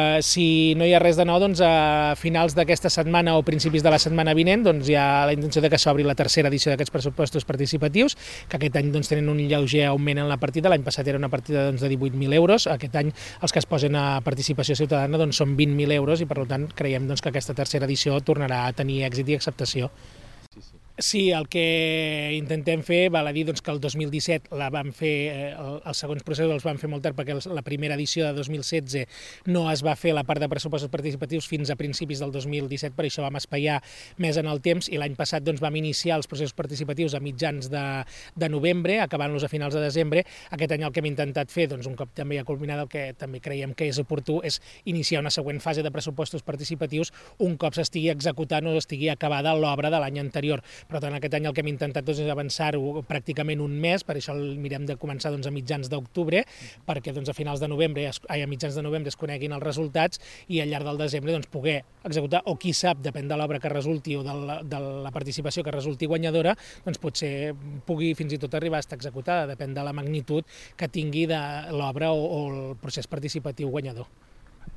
Si no hi ha res de nou, doncs a finals d'aquesta setmana o principis de la setmana vinent doncs hi ha la intenció de que s'obri la tercera edició d'aquests pressupostos participatius, que aquest any doncs, tenen un lleuger augment en la partida. L'any passat era una partida doncs, de 18.000 euros, aquest any els que es posen a participació ciutadana doncs, són 20.000 euros i per tant creiem doncs, que aquesta tercera edició tornarà a tenir èxit i acceptació. Sí, el que intentem fer, val a dir doncs, que el 2017 la vam fer, els segons processos els vam fer molt tard perquè la primera edició de 2016 no es va fer la part de pressupostos participatius fins a principis del 2017, per això vam espaiar més en el temps i l'any passat doncs, vam iniciar els processos participatius a mitjans de novembre, acabant-los a finals de desembre. Aquest any el que hem intentat fer, doncs, un cop també ja culminat, el que també creiem que és oportú és iniciar una següent fase de pressupostos participatius un cop s'estigui executant o estigui acabada l'obra de l'any anterior. Per tant, aquest any el que hem intentat doncs, és avançar-ho pràcticament un mes, per això el mirem de començar doncs, a mitjans d'octubre, perquè doncs, a finals de novembre, a mitjans de novembre es coneguin els resultats i al llarg del desembre doncs, poder executar, o qui sap, depèn de l'obra que resulti o de la participació que resulti guanyadora, doncs potser pugui fins i tot arribar a estar executada, depèn de la magnitud que tingui de l'obra o el procés participatiu guanyador.